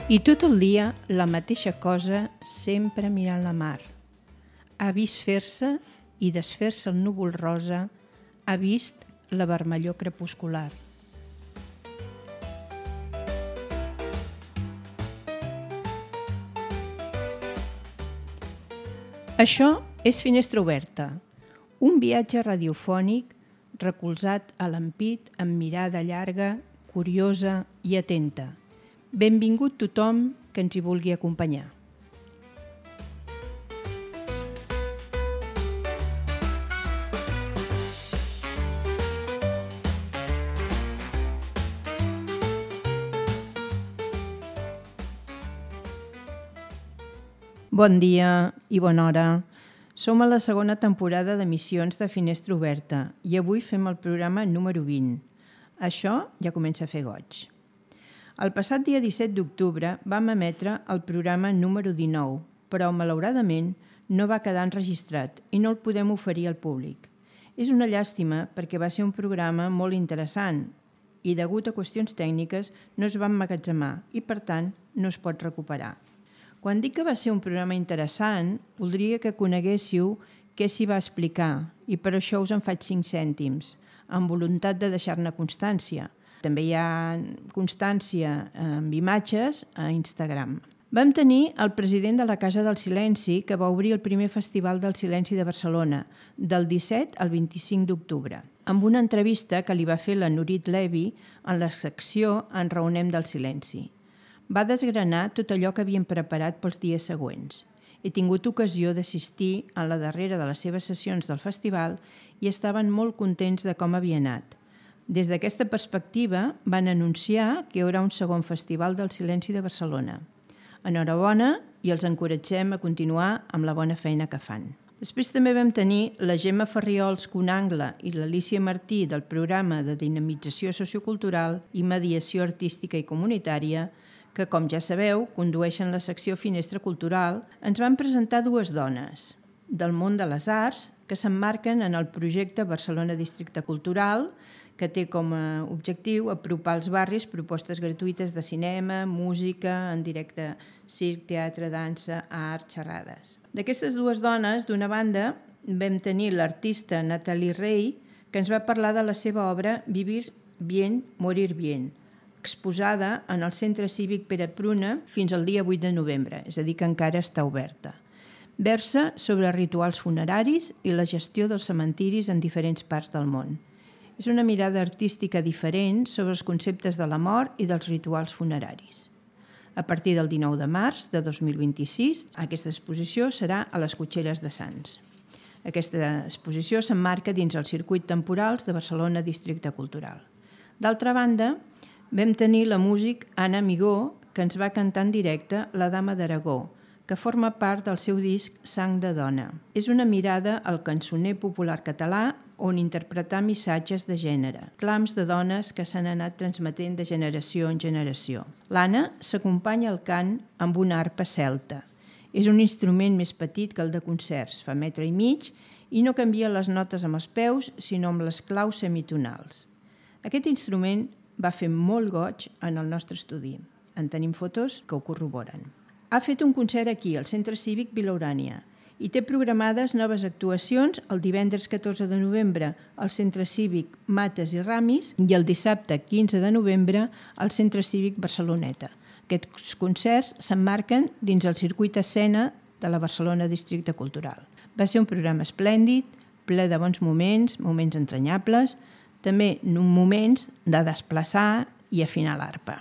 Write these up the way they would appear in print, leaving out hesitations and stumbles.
I tot el dia la mateixa cosa, sempre mirant la mar. Ha vist fer-se i desfer-se el núvol rosa, ha vist la vermellor crepuscular. Això és Finestra Oberta, un viatge radiofònic recolzat a l'ampit amb mirada llarga, curiosa i atenta. Benvingut tothom que ens hi vulgui acompanyar. Bon dia i bona hora. Som a la segona temporada d'emissions de Finestra Oberta i avui fem el programa número 20. Això ja comença a fer goig. El passat dia 17 d'octubre vam emetre el programa número 19, però malauradament no va quedar enregistrat i no el podem oferir al públic. És una llàstima perquè va ser un programa molt interessant i degut a qüestions tècniques no es va emmagatzemar i per tant no es pot recuperar. Quan dic que va ser un programa interessant, voldria que coneguéssiu què s'hi va explicar i per això us en faig 5 cèntims, amb voluntat de deixar-ne constància. També hi ha constància amb imatges a Instagram. Vam tenir el president de la Casa del Silenci que va obrir el primer Festival del Silenci de Barcelona, del 17 al 25 d'octubre, amb una entrevista que li va fer la Nurit Levi en la secció Enraonem del Silenci. Va desgranar tot allò que havien preparat pels dies següents. He tingut ocasió d'assistir a la darrera de les seves sessions del festival i estaven molt contents de com havia anat. Des d'aquesta perspectiva van anunciar que hi haurà un segon Festival del Silenci de Barcelona. Enhorabona i els encoratgem a continuar amb la bona feina que fan. Després també vam tenir la Gemma Farriols Conangle i l'Alícia Martí del programa de dinamització sociocultural i mediació artística i comunitària que, com ja sabeu, condueixen la secció Finestra Cultural, ens van presentar 2 dones del món de les arts que s'emmarquen en el projecte Barcelona Districte Cultural, que té com a objectiu apropar als barris propostes gratuïtes de cinema, música, en directe, circ, teatre, dansa, art, xerrades. D'aquestes 2 dones, d'una banda, vam tenir l'artista Nathalie Rey, que ens va parlar de la seva obra Vivir bien, morir bien, exposada en el Centre Cívic Pere Pruna fins al dia 8 de novembre, és a dir, que encara està oberta. Versa sobre rituals funeraris i la gestió dels cementiris en diferents parts del món. És una mirada artística diferent sobre els conceptes de la mort i dels rituals funeraris. A partir del 19 de març de 2026, aquesta exposició serà a les Cotxeres de Sants. Aquesta exposició s'emmarca dins els circuits temporals de Barcelona Districte Cultural. D'altra banda, vam tenir la músic Anna Amigó, que ens va cantar en directe La Dama d'Aragó, que forma part del seu disc Sang de Dona. És una mirada al cançoner popular català on interpretar missatges de gènere, clams de dones que s'han anat transmetent de generació en generació. L'Anna s'acompanya al cant amb una arpa celta. És un instrument més petit que el de concerts, fa 1,5 metres, i no canvia les notes amb els peus, sinó amb les claus semitonals. Aquest instrument va fer molt goig en el nostre estudi. En tenim fotos que ho corroboren. Ha fet un concert aquí, al Centre Cívic Vila Urània, i té programades noves actuacions el divendres 14 de novembre al Centre Cívic Mates i Ramis i el dissabte 15 de novembre al Centre Cívic Barceloneta. Aquests concerts s'emmarquen dins el circuit escena de la Barcelona Districte Cultural. Va ser un programa esplèndid, ple de bons moments, moments entranyables, també moments de desplaçar i afinar l'arpa.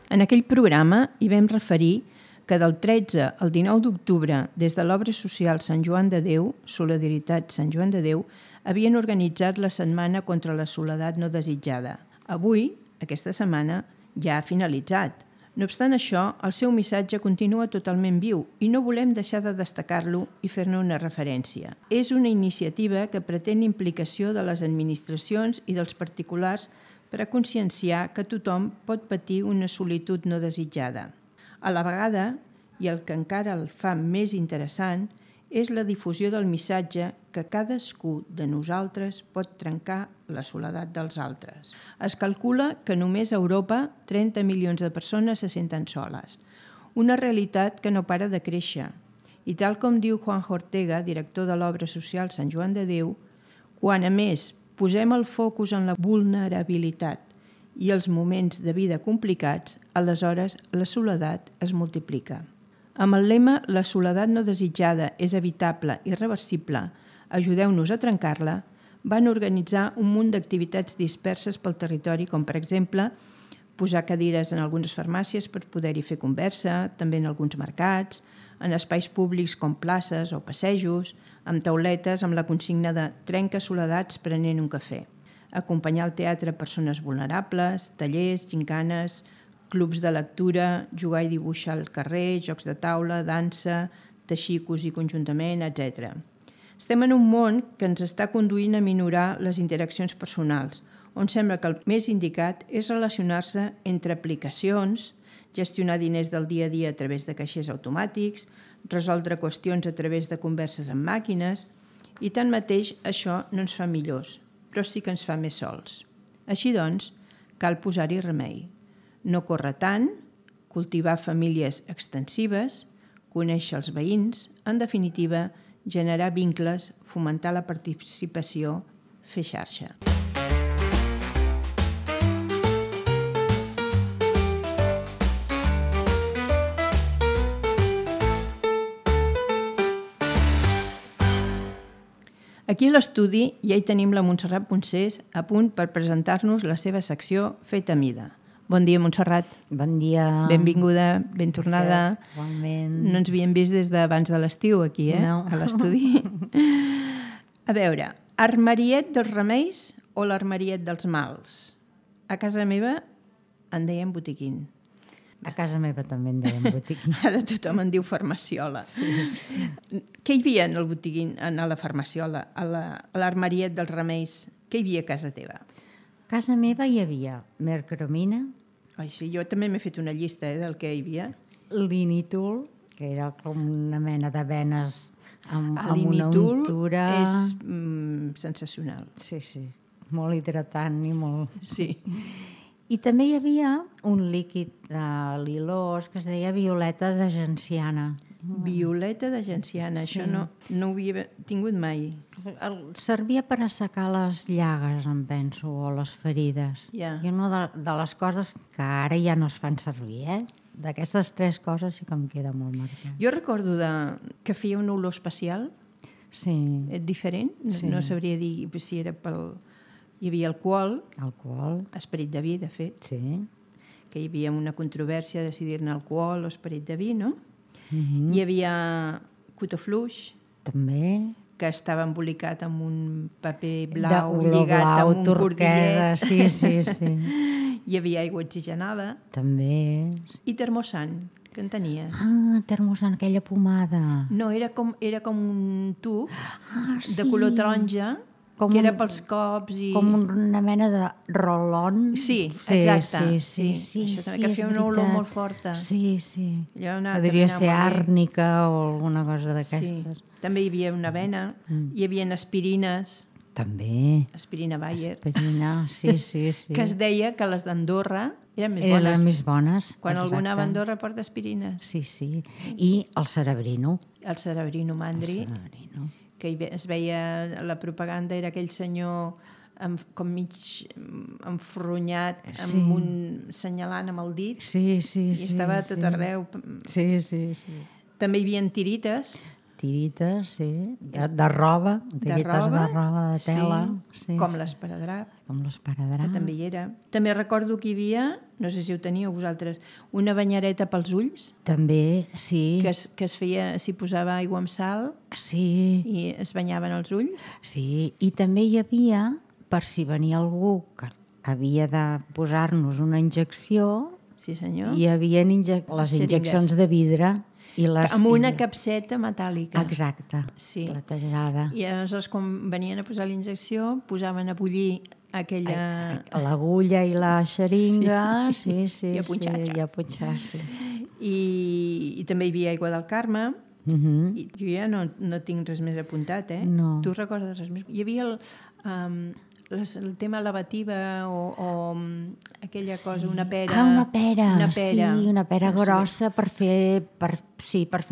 En aquell programa hi vam referir que del 13 al 19 d'octubre, des de l'Obra Social Sant Joan de Déu, Solidaritat Sant Joan de Déu, havien organitzat la Setmana contra la Soledat no desitjada. Avui, aquesta setmana, ja ha finalitzat. No obstant això, el seu missatge continua totalment viu i no volem deixar de destacar-lo i fer-ne una referència. És una iniciativa que pretén implicació de les administracions i dels particulars per a conscienciar que tothom pot patir una solitud no desitjada. A la vegada, i el que encara el fa més interessant, és la difusió del missatge que cadascú de nosaltres pot trencar la soledat dels altres. Es calcula que només a Europa 30 milions de persones se senten soles, una realitat que no para de créixer. I tal com diu Juanjo Ortega, director de l'obra social Sant Joan de Déu, quan a més posem el focus en la vulnerabilitat i els moments de vida complicats, aleshores la soledat es multiplica. Amb el lema «La soledat no desitjada és evitable i reversible, ajudeu-nos a trencar-la», van organitzar un munt d'activitats disperses pel territori, com per exemple posar cadires en algunes farmàcies per poder-hi fer conversa, també en alguns mercats, en espais públics com places o passejos, amb tauletes amb la consigna de «Trenca soledats prenent un cafè», acompanyar al teatre persones vulnerables, tallers, gincanes, clubs de lectura, jugar i dibuixar al carrer, jocs de taula, dansa, teixir i cosir conjuntament, etc. Estem en un món que ens està conduint a minorar les interaccions personals, on sembla que el més indicat és relacionar-se entre aplicacions, gestionar diners del dia a dia a través de caixers automàtics, resoldre qüestions a través de converses amb màquines, i tanmateix això no ens fa millors, però sí que ens fa més sols. Així doncs, cal posar-hi remei. No córrer tant, cultivar famílies extensives, conèixer els veïns, en definitiva, generar vincles, fomentar la participació, fer xarxa. Aquí a l'estudi ja hi tenim la Montserrat Poncés a punt per presentar-nos la seva secció Feta mida. Bon dia, Montserrat. Bon dia. Benvinguda, ben tornada. Igualment. No ens havíem vist des d'abans de l'estiu aquí, No. a l'estudi. A veure, armariet dels remeis o l'armariet dels mals? A casa meva en deien botiquín. A casa meva també en deien botiquín. Ara tothom en diu farmaciola. Sí. Què hi havia en el botiquín, a la farmaciola, a l'armariet dels remeis? Què hi havia a casa teva? A casa meva hi havia mercromina, Ai, sí, jo també m'he fet una llista del que hi havia. l'initul, que era com una mena de venes amb una L'initul untura. és sensacional. Sí, sí, molt hidratant i molt... Sí. I també hi havia un líquid de l'ilós que es deia violeta de genciana. Violeta de genciana, Sí. això no ho havia tingut mai. Servia per assecar les llagues, em penso, o les ferides. Ja. I una de les coses que ara ja no es fan servir, d'aquestes tres coses sí que em queda molt marcat. Jo recordo que feia una olor especial, Sí, diferent, Sí. no sabria dir si era pel... Hi havia alcohol, alcohol, esperit de vi, de fet, sí. que hi havia una controvèrsia de decidir-ne alcohol o esperit de vi, no? Mhm. Hi havia cotó fluix, També. que estava embolicat amb un paper De blau olor lligat blau, amb un turquesa, cordillet. sí, sí, sí. Hi havia aigua oxigenada També. i termosan, que en tenies. Ah, termosan, aquella pomada. No, era com un tub Sí. de color taronja, Com que era un- pels cops i... Com una mena de rolon. Sí, exacte. Sí, sí, sí, Això també, sí, que és feia una olor veritat. molt forta. Sí, sí. Allò anava- Podria també ser anava molt bé. àrnica o alguna cosa Sí. d'aquestes. També hi havia una avena, hi havia aspirines, També. aspirina Bayer, Aspirina, sí, sí, sí. que es deia que les d'Andorra eren més Eren bones. més bones. Quan algú anava a exacte. Andorra porta aspirines. Sí, sí. I el cerebrino. El cerebrino mandri, Cerebrino. que es veia la propaganda, era aquell senyor com mig enfronyat, Sí. amb senyalant amb el dit, Sí, sí, i sí. estava a tot sí. arreu. Sí, sí, sí. També hi havia tirites, Tirites, sí. De roba. Tirites de roba, de tela. Sí, com sí. l'esparadrap, Com l'esparadrap. que també hi era. També recordo que hi havia, no sé si ho teníeu vosaltres, una banyareta pels ulls, També, sí. que es feia, s'hi posava aigua amb sal Sí, i es banyaven els ulls. sí. I també hi havia, per si venia algú que havia de posar-nos una injecció, Sí, senyor. hi havia les Xeringues. injeccions de vidre. I les, Amb una capseta metàl·lica. Exacte, Sí. platejada. I aleshores, quan venien a posar la injecció, posaven a bullir aquella... L'agulla i la xeringa, sí, sí, I a punxar. sí, i a punxar, sí. I també hi havia aigua del Carme, I jo ja no tinc res més apuntat, No. Tu recordes res més? Hi havia el tema lavativa o aquella cosa, una pera... Una pera, una pera. Sí, una pera grossa per fer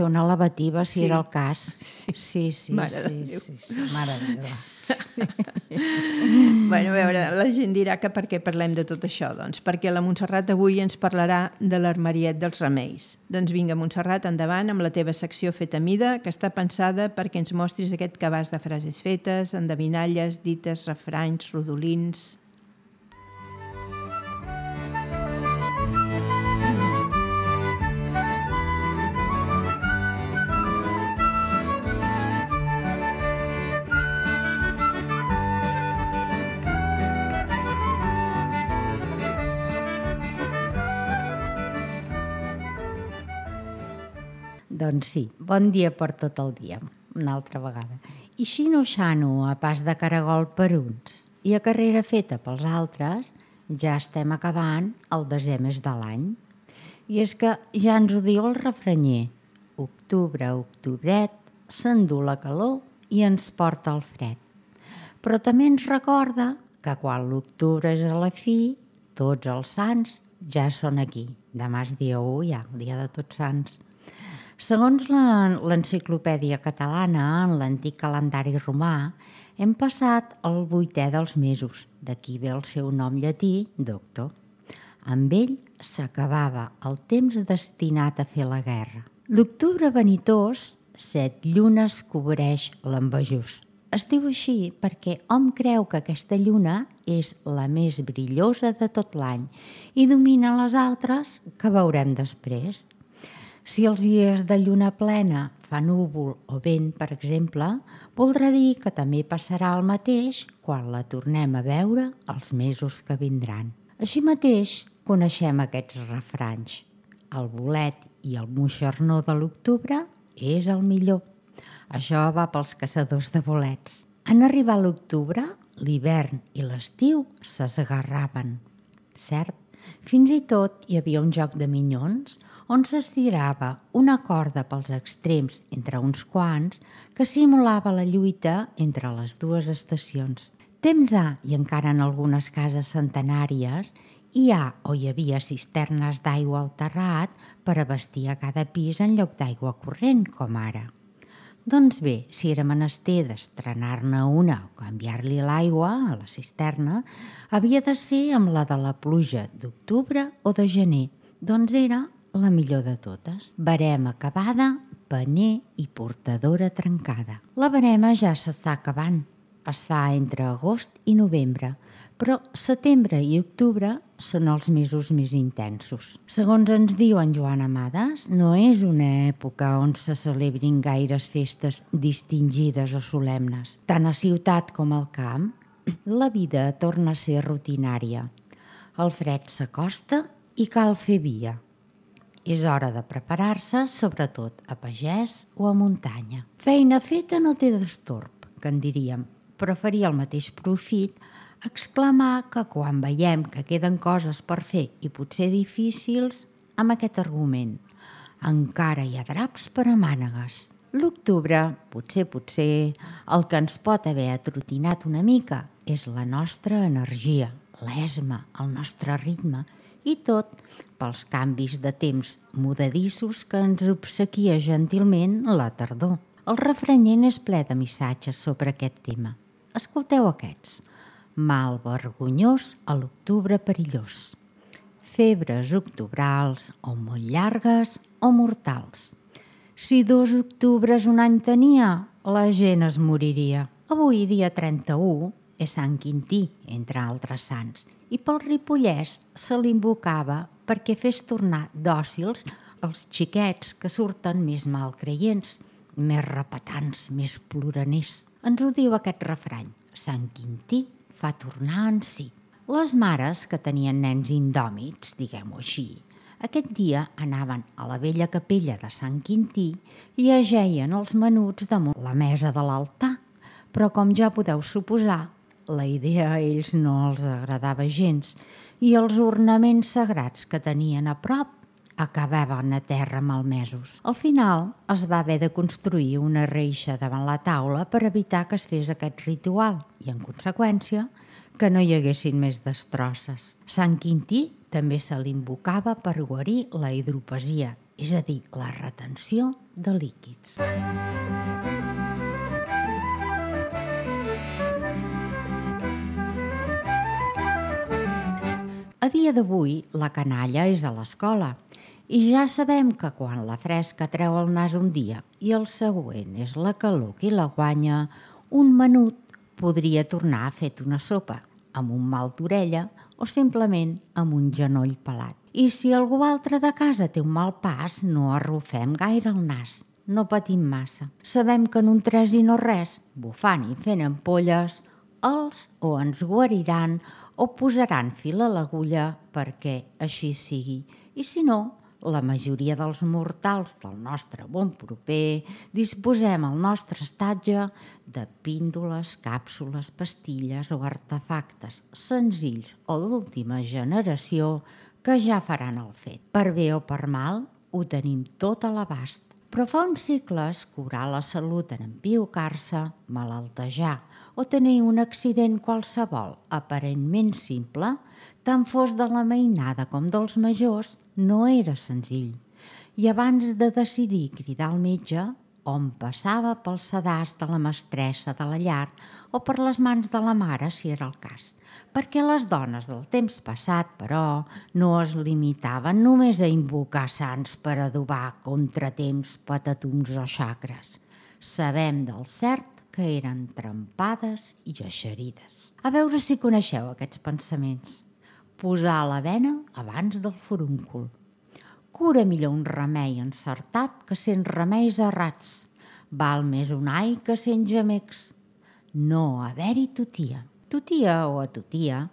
una lavativa, si era el cas. Sí. Mare de Déu. Sí, mare de Déu. Bueno, a veure, la gent dirà que per què parlem de tot això, doncs perquè la Montserrat avui ens parlarà de l'armariet dels remeis. Doncs vinga, Montserrat, endavant amb la teva secció feta a mida, que està pensada perquè ens mostris aquest cabàs de frases fetes, endevinalles, dites, refranys, rodolins... Doncs sí, bon dia per tot el dia, una altra vegada. I xino-xano a pas de caragol per uns i a carrera feta pels altres, ja estem acabant el desè mes de l'any. I és que ja ens ho diu el refranyer. Octubre, octobret, s'endú la calor i ens porta el fred. Però també ens recorda que quan l'octubre és a la fi, tots els sants ja són aquí. Demà és dia 1 ja, el dia de Tots Sants. Segons l'enciclopèdia catalana, en l'antic calendari romà, hem passat el 8è dels mesos, d'aquí ve el seu nom llatí, doctor. Amb ell s'acabava el temps destinat a fer la guerra. L'octubre vanitós, 7 llunes cobreix l'envejós. Es diu així perquè hom creu que aquesta lluna és la més brillosa de tot l'any i domina les altres que veurem després. Si els dies de lluna plena fa núvol o vent, per exemple, voldrà dir que també passarà el mateix quan la tornem a veure els mesos que vindran. Així mateix, coneixem aquests refranys. El bolet i el moixernó de l'octubre és el millor. Això va pels caçadors de bolets. En arribar l'octubre, l'hivern i l'estiu s'esgarraven. Cert, fins i tot hi havia un joc de minyons on s'estirava una corda pels extrems entre uns quants que simulava la lluita entre les dues estacions. Temps ha, i encara en algunes cases centenàries, hi ha o hi havia cisternes d'aigua al terrat per abastir a cada pis en lloc d'aigua corrent, com ara. Doncs bé, si era menester d'estrenar-ne una o canviar-li l'aigua a la cisterna, havia de ser amb la de la pluja d'octubre o de gener, doncs era la millor de totes. Barema acabada, paner i portadora trencada. La barema ja s'està acabant. Es fa entre agost i novembre, però setembre i octubre són els mesos més intensos. Segons ens diu en Joan Amades, no és una època on se celebrin gaires festes distingides o solemnes. Tant a ciutat com al camp, la vida torna a ser rutinària. El fred s'acosta i cal fer via. És hora de preparar-se, sobretot a pagès o a muntanya. Feina feta no té destorb, que en diríem, però faria el mateix profit exclamar que quan veiem que queden coses per fer i potser difícils, amb aquest argument, encara hi ha draps per a mànegues. L'octubre, potser, el que ens pot haver atrotinat una mica és la nostra energia, l'esma, el nostre ritme, i tot pels canvis de temps mudadissos que ens obsequia gentilment la tardor. El refranyer és ple de missatges sobre aquest tema. Escolteu aquests. Mal vergonyós a l'octubre perillós. Febres octobrals o molt llargues o mortals. Si 2 octubres un any tenia, la gent es moriria. Avui, dia 31, és Sant Quintí, entre altres sants, i pel Ripollès se l'invocava perquè fes tornar dòcils els xiquets que surten més malcreients, més repetants, més ploraners. Ens ho diu aquest refrany, Sant Quintí fa tornar en si. Les mares que tenien nens indòmits, diguem-ho així, aquest dia anaven a la vella capella de Sant Quintí i ajeien els menuts damunt la mesa de l'altar, però com ja podeu suposar, la idea a ells no els agradava gens i els ornaments sagrats que tenien a prop acabaven a terra malmesos. Al final es va haver de construir una reixa davant la taula per evitar que es fes aquest ritual i, en conseqüència, que no hi haguessin més destrosses. Sant Quintí també se l'invocava per guarir la hidropesia, és a dir, la retenció de líquids. A dia d'avui, la canalla és a l'escola i ja sabem que quan la fresca treu el nas un dia i el següent és la calor qui la guanya, un menut podria tornar a fet una sopa amb un mal d'orella o simplement amb un genoll pelat. I si algú altre de casa té un mal pas, no arrufem gaire el nas, no patim massa. Sabem que en un tres i no res, bufant i fent ampolles, els o ens guariran o posaran fil a l'agulla perquè així sigui. I si no, la majoria dels mortals del nostre bon proper disposem al nostre estatge de píndoles, càpsules, pastilles o artefactes senzills o d'última generació que ja faran el fet. Per bé o per mal, ho tenim tot a l'abast. Però fa uns segles curar la salut en empiocar-se, malaltejar o tenir un accident qualsevol aparentment simple, tant fos de la mainada com dels majors, no era senzill. I abans de decidir cridar al metge, on passava pel sedàs de la mestressa de la llar o per les mans de la mare, si era el cas. Perquè les dones del temps passat, però, no es limitaven només a invocar sants per adobar contratemps, patatums o xacres. Sabem del cert que eren trempades i eixerides. A veure si coneixeu aquests pensaments. Posar la vena abans del forúncul. Cura millor un remei encertat que 100 remeis errats. Val més un ai que 100 gemecs. No haver-hi tutia. Tutia o atutia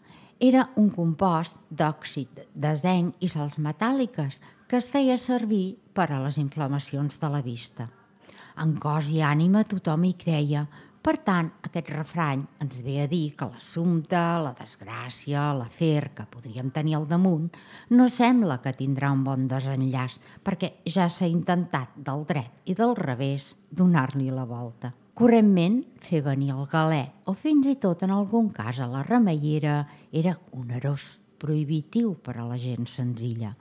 era un compost d'òxid de zinc i sals metàl·liques que es feia servir per a les inflamacions de la vista. En cos i ànima tothom hi creia. Per tant, aquest refrany ens ve a dir que l'assumpte, la desgràcia, l'afer que podríem tenir al damunt no sembla que tindrà un bon desenllaç perquè ja s'ha intentat del dret i del revés donar-li la volta. Correntment, fer venir el galè o fins i tot en algun cas a la remeiera era onerós, prohibitiu per a la gent senzilla,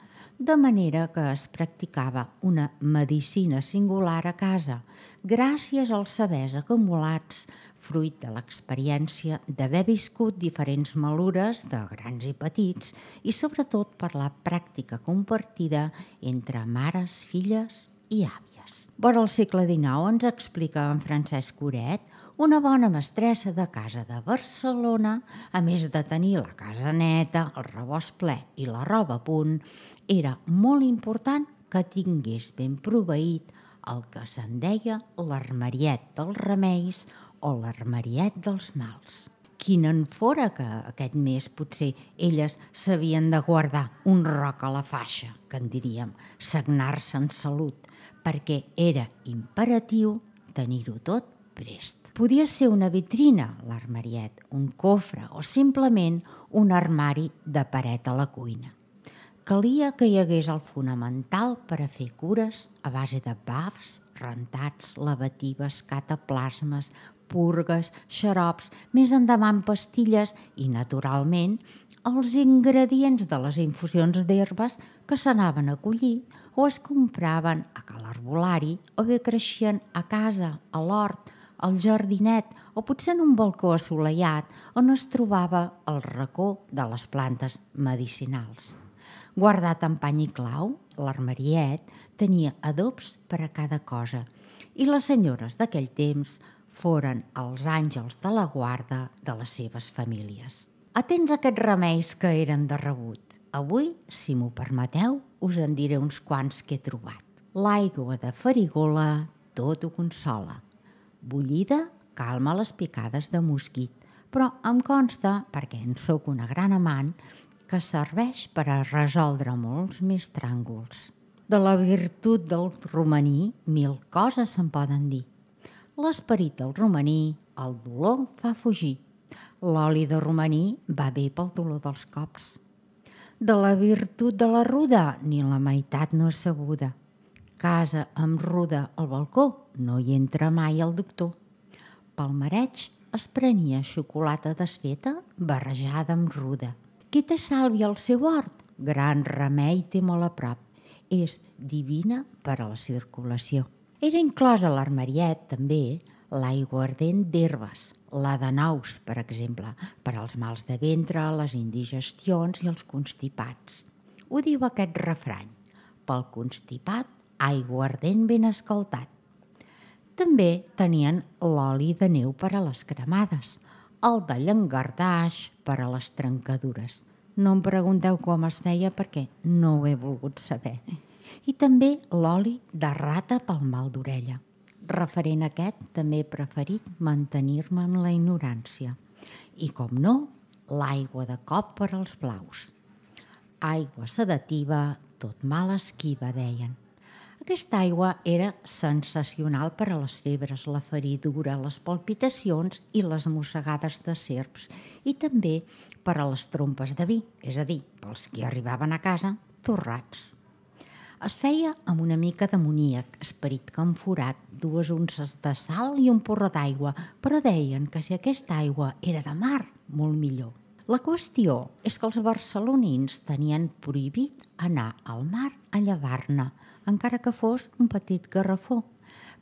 de manera que es practicava una medicina singular a casa, gràcies als sabers acumulats, fruit de l'experiència d'haver viscut diferents malures de grans i petits i sobretot per la pràctica compartida entre mares, filles i àvies. Vora el segle XIX ens explica en Francesc Coret, una bona mestressa de casa de Barcelona, a més de tenir la casa neta, el rebost ple i la roba a punt, era molt important que tingués ben proveït el que se'n deia l'armariet dels remeis o l'armariet dels mals. Quin en fora que aquest mes potser elles s'havien de guardar un roc a la faixa, que en diríem, sagnar-se en salut, perquè era imperatiu tenir-ho tot prest. Podia ser una vitrina, l'armariet, un cofre o simplement un armari de paret a la cuina. Calia que hi hagués el fonamental per a fer cures a base de bafs, rentats, lavatives, cataplasmes, purgues, xarops, més endavant pastilles i, naturalment, els ingredients de les infusions d'herbes que s'anaven a collir o es compraven a cal arbolari o bé creixien a casa, a l'hort, al jardinet o potser en un balcó assolellat on es trobava el racó de les plantes medicinals. Guardat en pany i clau, l'armariet tenia adobs per a cada cosa i les senyores d'aquell temps foren els àngels de la guarda de les seves famílies. Atents a aquests remeis que eren de rebut. Avui, si m'ho permeteu, us en diré uns quants que he trobat. L'aigua de farigola tot ho consola. Bullida calma les picades de mosquit, però em consta, perquè en sóc una gran amant, que serveix per a resoldre molts més tràngols. De la virtut del romaní, 1000 coses se'n poden dir. L'esperit del romaní, el dolor fa fugir. L'oli de romaní va bé pel dolor dels cops. De la virtut de la ruda, ni la meitat no és sabuda. Casa amb ruda al balcó, no hi entra mai el doctor. Pel mareig es prenia xocolata desfeta barrejada amb ruda. Qui té sàlvia al seu hort? Gran remei té molt a prop. És divina per a la circulació. Era inclosa a l'armariet, també, l'aiguardent d'herbes, la de nous, per exemple, per als mals de ventre, les indigestions i els constipats. Ho diu aquest refrany: pel constipat, aiguardent ben escaldat. També tenien l'oli de neu per a les cremades, el de llangardaix per a les trencadures. No em pregunteu com es feia perquè no ho he volgut saber. I també l'oli de rata pel mal d'orella. Referent a aquest, també he preferit mantenir-me en la ignorància. I, com no, l'aigua de cop per als blaus. Aigua sedativa, tot mal esquiva, deien. Aquesta aigua era sensacional per a les febres, la feridura, les palpitacions i les mossegades de serps, i també per a les trompes de vi, és a dir, pels que arribaven a casa torrats. Es feia amb una mica d'amoníac, esperit camforat, 2 unces de sal i un porró d'aigua, però deien que si aquesta aigua era de mar, molt millor. La qüestió és que els barcelonins tenien prohibit anar al mar a llevar-ne, encara que fos un petit garrafó,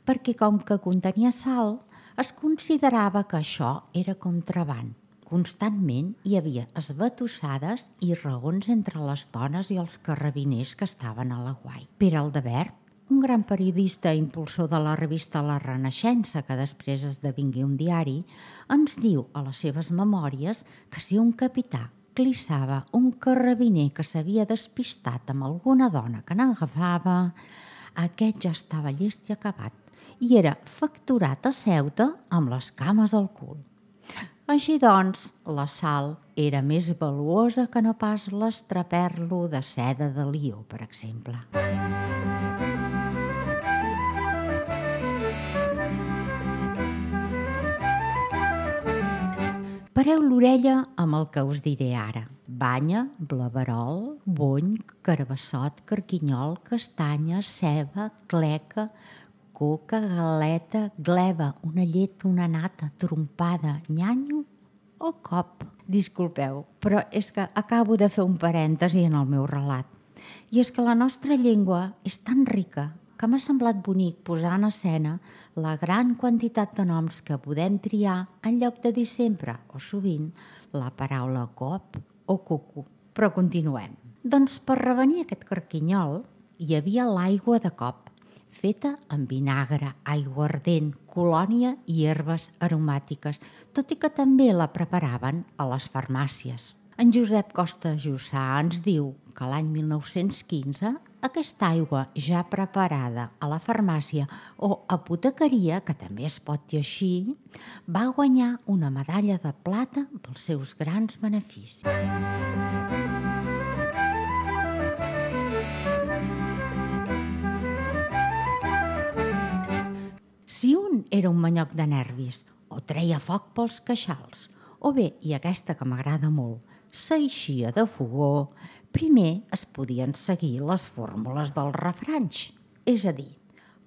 perquè com que contenia sal, es considerava que això era contraban. Constantment hi havia esbatussades i raons entre les dones i els carrabiners que estaven a l'aguait. Pere Aldebert, un gran periodista i impulsor de la revista La Renaixença, que després esdevingué un diari, ens diu a les seves memòries que si un capità clissava un carrabiner que s'havia despistat amb alguna dona que n'agafava, aquest ja estava llest i acabat i era facturat a Ceuta amb les cames al cul. Així doncs, la sal era més valuosa que no pas l'estraperlo de seda de Lió, per exemple. Pareu l'orella amb el que us diré ara. Banya, blaverol, bony, carabassot, carquinyol, castanya, ceba, cleca, coca, galeta, gleva, una llet, una nata, trompada, nyanyo o cop. Disculpeu, però és que acabo de fer un parèntesi en el meu relat. I és que la nostra llengua és tan rica que m'ha semblat bonic posar en escena la gran quantitat de noms que podem triar en lloc de dir sempre, o sovint, la paraula cop o cucu. Però continuem. Doncs per revenir aquest carquinyol hi havia l'aigua de cop, feta amb vinagre, aiguardent, colònia i herbes aromàtiques, tot i que també la preparaven a les farmàcies. En Josep Costa Jussà ens diu que l'any 1915 aquesta aigua ja preparada a la farmàcia o apotecaria, que també es pot dir així, va guanyar una medalla de plata pels seus grans beneficis. Si un era un manyoc de nervis o treia foc pels queixals, o bé, i aquesta que m'agrada molt, s'eixia de fogó, primer es podien seguir les fórmules dels refranys, és a dir,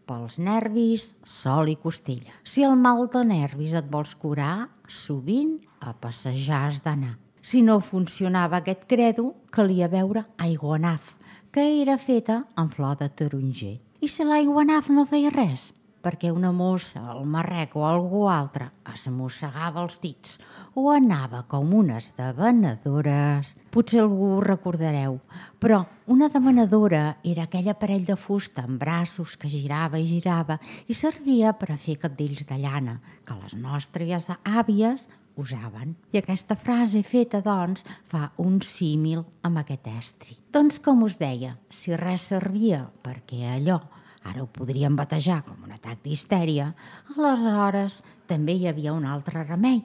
pels nervis, sol i costella. Si el mal de nervis et vols curar, sovint a passejar has d'anar. Si no funcionava aquest credo, calia beure aiguanaf, que era feta amb flor de taronger. I si l'aiguanaf no feia res, perquè una mossa, el marrec o algú altre es mossegava els dits o anava com unes devenedores. Potser algú ho recordareu, però una devenedora era aquell aparell de fusta amb braços que girava i girava i servia per a fer cabdells de llana, que les nostres àvies usaven. I aquesta frase feta, doncs, fa un símil amb aquest estri. Doncs, com us deia, si res servia perquè allò ara ho podríem batejar com un atac d'histèria, aleshores també hi havia un altre remei.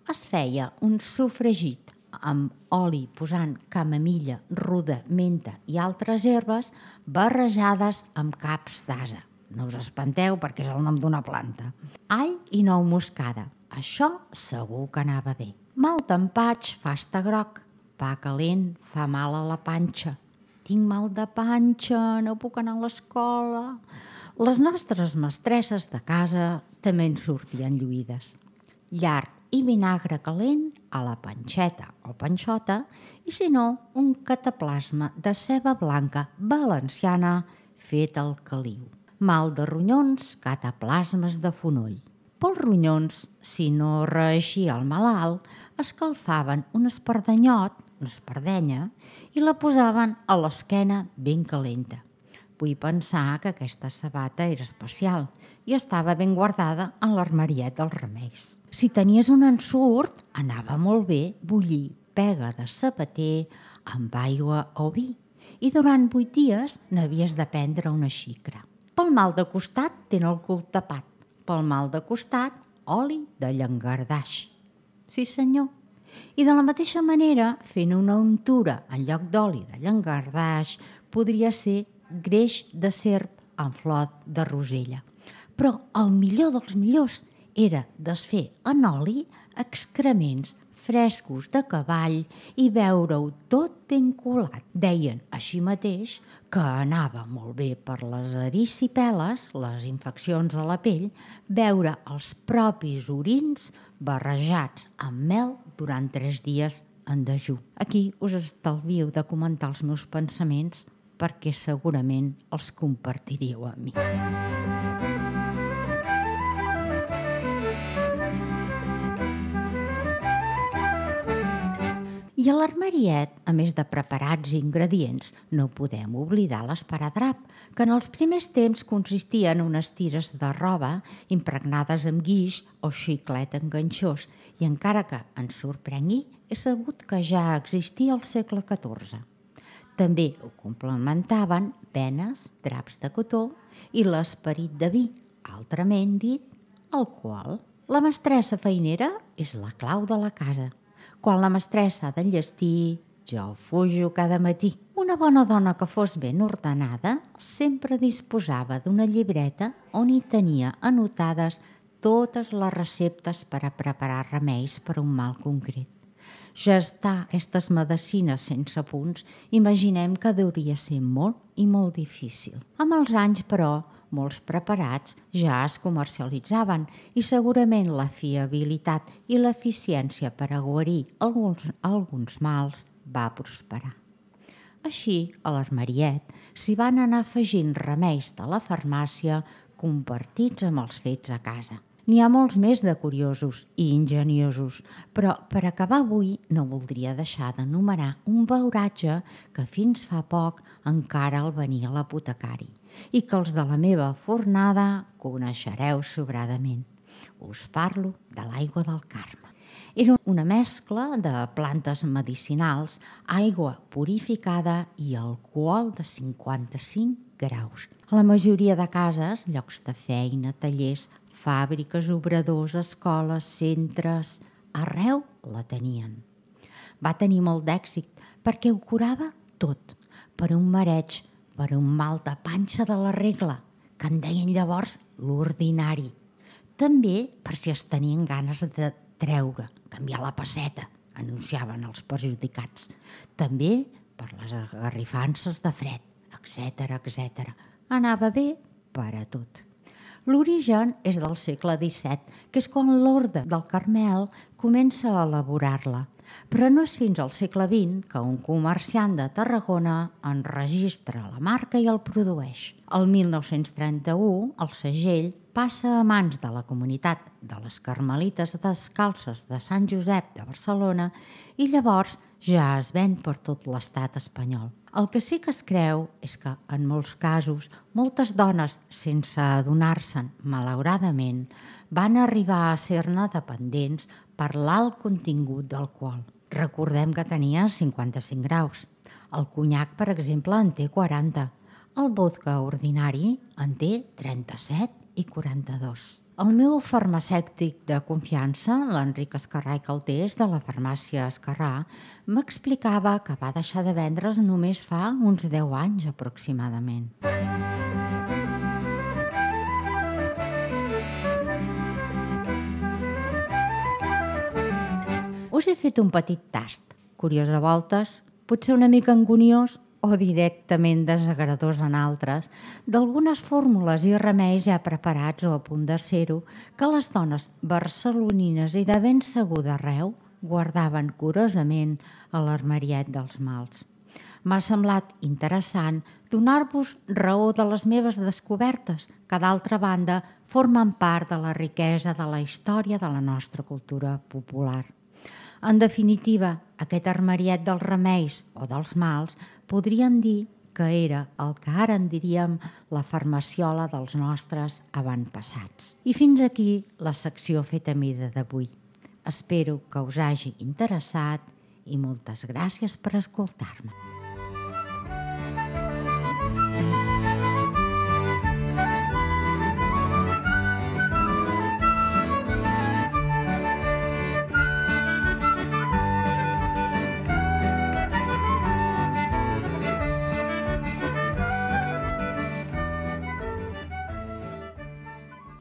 Es feia un sofregit amb oli posant camamilla, ruda, menta i altres herbes barrejades amb caps d'ase. No us espanteu perquè és el nom d'una planta. All i nou moscada. Això segur que anava bé. Mal tempatx fa estar groc. pa calent fa mal a la panxa. Tinc mal de panxa, no puc anar a l'escola. Les nostres mestresses de casa també en sortien lluïdes. Llard i vinagre calent a la panxeta o panxota i, si no, un cataplasma de ceba blanca valenciana fet al caliu. Mal de ronyons, cataplasmes de fonoll. Pels ronyons, si no reeixia el malalt, escalfaven un espardanyot, una espardenya, i la posaven a l'esquena ben calenta. Vull pensar que aquesta sabata era especial i estava ben guardada en l'armariet dels remeis. Si tenies un ensurt, anava molt bé bullir pega de sabater amb aigua o vi i durant 8 dies n'havies de prendre una xicra. Pel mal de costat, ten el cul tapat. Pel mal de costat, oli de llangardaix. Sí, senyor. I de la mateixa manera, fent una untura en lloc d'oli de llangardaix, podria ser greix de serp amb flor de rosella. Però el millor dels millors era desfer en oli excrements frescos de cavall i veure-ho tot ben colat. Deien així mateix que anava molt bé per les erisipel·les, les infeccions a la pell, veure els propis orins barrejats amb mel durant 3 dies en dejú. Aquí us estalvio de comentar els meus pensaments perquè segurament els compartiríeu amb mi. I a l'armariet, a més de preparats i ingredients, no podem oblidar l'esparadrap, que en els primers temps consistia en unes tires de roba impregnades amb guix o xiclet enganxós, i encara que ens sorprengui, he sabut que ja existia al segle XIV. També ho complementaven penes, draps de cotó i l'esperit de vi, altrament dit, alcohol. La mestressa feinera és la clau de la casa. Quan la mestressa ha d'enllestir, jo fujo cada matí. Una bona dona que fos ben ordenada sempre disposava d'una llibreta on hi tenia anotades totes les receptes per a preparar remeis per a un mal concret. Gestar aquestes medecines sense punts, imaginem que hauria ser molt i molt difícil. Amb els anys, però, molts preparats ja es comercialitzaven i segurament la fiabilitat i l'eficiència per a guarir alguns mals va prosperar. Així, a l'armariet s'hi van anar afegint remeis de la farmàcia compartits amb els fets a casa. N'hi ha molts més de curiosos i ingeniosos, però per acabar avui no voldria deixar d'enumerar un beuratge que fins fa poc encara el venia a l'apotecari i que els de la meva fornada coneixereu sobradament. Us parlo de l'aigua del Carme. Era una mescla de plantes medicinals, aigua purificada i alcohol de 55 graus. A la majoria de cases, llocs de feina, tallers, fàbriques, obradors, escoles, centres, arreu la tenien. Va tenir molt d'èxit perquè ho curava tot, per un mareig, per un mal de panxa de la regla, que en deien llavors l'ordinari. També per si es tenien ganes de treure, canviar la pesseta, anunciaven els perjudicats. També per les agarrifances de fred, etc. Anava bé per a tot. L'origen és del segle XVII, que és quan l'orde del Carmel comença a elaborar-la. Però no és fins al segle XX que un comerciant de Tarragona enregistra la marca i el produeix. El 1931, el segell passa a mans de la comunitat de les Carmelites Descalces de Sant Josep de Barcelona i llavors ja es ven per tot l'estat espanyol. El que sí que es creu és que, en molts casos, moltes dones, sense adonar-se'n, malauradament, van arribar a ser-ne dependents per l'alt contingut d'alcohol. Recordem que tenia 55 graus. El conyac, per exemple, en té 40. El vodka ordinari en té 37 i 42. El meu farmacèutic de confiança, l'Enric Escarrà i Caltés, de la farmàcia Escarrà, m'explicava que va deixar de vendre's només fa uns 10 anys aproximadament. Us he fet un petit tast curiós a voltes, potser una mica anguniós o directament desagradós en altres, d'algunes fórmules i remeis ja preparats o a punt de ser-ho, que les dones barcelonines i de ben segur d'arreu guardaven curosament a l'armariet dels mals. M'ha semblat interessant donar-vos raó de les meves descobertes, que d'altra banda formen part de la riquesa de la història de la nostra cultura popular. En definitiva, aquest armariet dels remeis o dels mals podríem dir que era el que ara en diríem la farmaciola dels nostres avantpassats. I fins aquí la secció feta a mida d'avui. Espero que us hagi interessat i moltes gràcies per escoltar-me.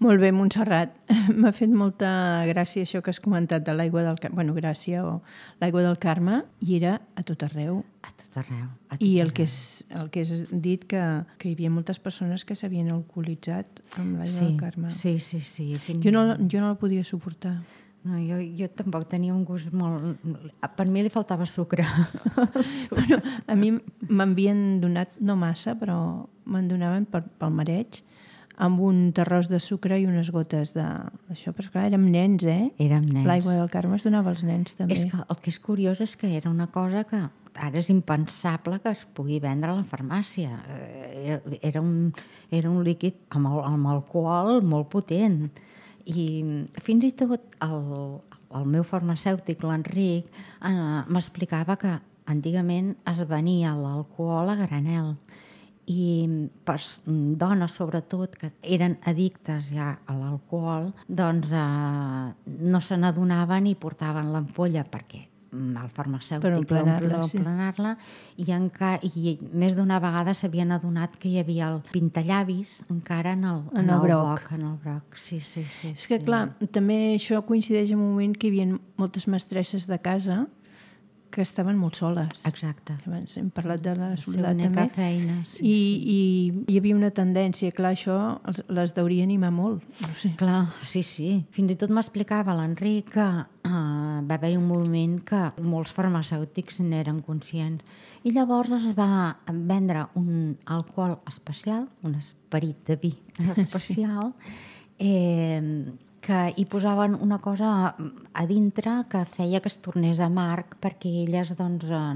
Molt bé, Montserrat. M'ha fet molta gràcia això que has comentat de l'aigua del Carme. Bueno, gràcia o l'aigua del Carme, i era a tot arreu. A tot arreu. I el que has dit, que hi havia moltes persones que s'havien alcoholitzat amb l'aigua del Carme. Sí. Jo no la podia suportar. No, jo tampoc tenia un gust molt... Per mi li faltava sucre. Bueno, a mi m'havien donat, no massa, però me'n donaven pel mareig, amb un terròs de sucre i unes gotes d'això. Però clar, érem nens, Érem nens. L'aigua del Carme es donava als nens, també. És que el que és curiós és que era una cosa que ara és impensable que es pugui vendre a la farmàcia. Era un líquid amb alcohol molt potent. I fins i tot el meu farmacèutic, l'Enric, m'explicava que antigament es venia l'alcohol a granel. I per dones, sobretot, que eren addictes ja a l'alcohol, doncs no se n'adonaven i portaven l'ampolla perquè el farmacèutic per emplenar-la, i més d'una vegada s'havien adonat que hi havia el pintallavis encara en el broc. Sí. És que, clar, també això coincideix en un moment que hi havia moltes mestresses de casa que estaven molt soles. Exacte. Abans hem parlat de la soledat també. Feina, I hi havia una tendència, clar, això les deuria animar molt. No sé. Clar, sí. Fins i tot m'explicava l'Enric que va haver-hi un moment que molts farmacèutics n'eren conscients. I llavors es va vendre un alcohol especial, un esperit de vi especial, que hi posaven una cosa a dintre que feia que es tornés amarg perquè elles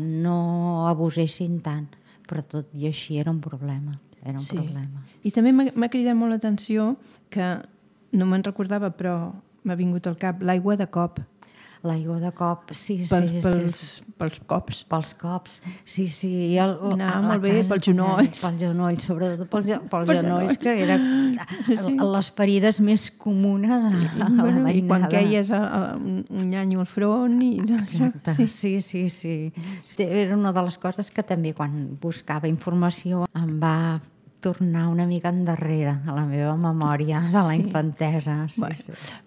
no abusessin tant. Però tot i així era un problema. Problema. I també m'ha cridat molt l'atenció que no me'n recordava, però m'ha vingut al cap l'aigua de cop. L'aigua de cop, sí. Pels cops. Pels cops, sí. Anava molt bé pels genolls. Pels genolls, sobretot pels genolls, que era les ferides més comunes a la veïnada. I quan queies un nyanyo al front. Exacte, sí. Era una de les coses que també quan buscava informació em va tornar una mica endarrere a la meva memòria de la infantesa. Sí.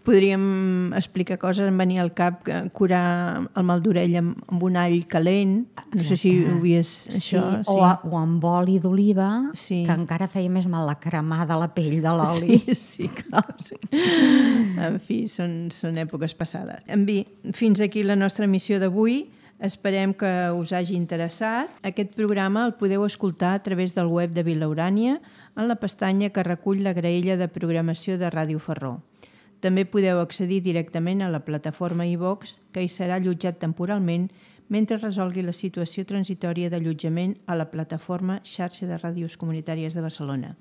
Podríem explicar coses, em venia al cap curar el mal d'orella amb un all calent. No sé si ho havies això. Sí. O amb oli d'oliva, que encara feia més mal la cremar de la pell de l'oli. Sí, clar. Sí. En fi, són èpoques passades. En fi, fins aquí la nostra emissió d'avui. Esperem que us hagi interessat. Aquest programa el podeu escoltar a través del web de Vila Urània en la pestanya que recull la graella de programació de Ràdio Ferró. També podeu accedir directament a la plataforma iVox, que hi serà allotjat temporalment mentre resolgui la situació transitòria d'allotjament a la plataforma Xarxa de Ràdios Comunitàries de Barcelona.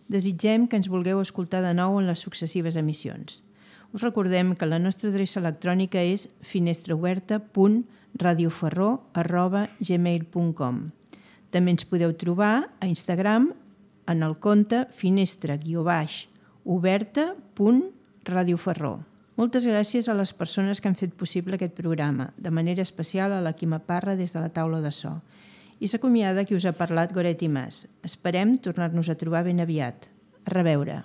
Desitgem que ens vulgueu escoltar de nou en les successives emissions. Us recordem que la nostra adreça electrònica és finestraoberta.radioferró@gmail.com. També ens podeu trobar a Instagram en el compte finestra-oberta.radioferró. Moltes gràcies a les persones que han fet possible aquest programa, de manera especial a la Quima Parra des de la taula de so. I s'acomiada qui us ha parlat Goretti Mas. Esperem tornar-nos a trobar ben aviat. A reveure.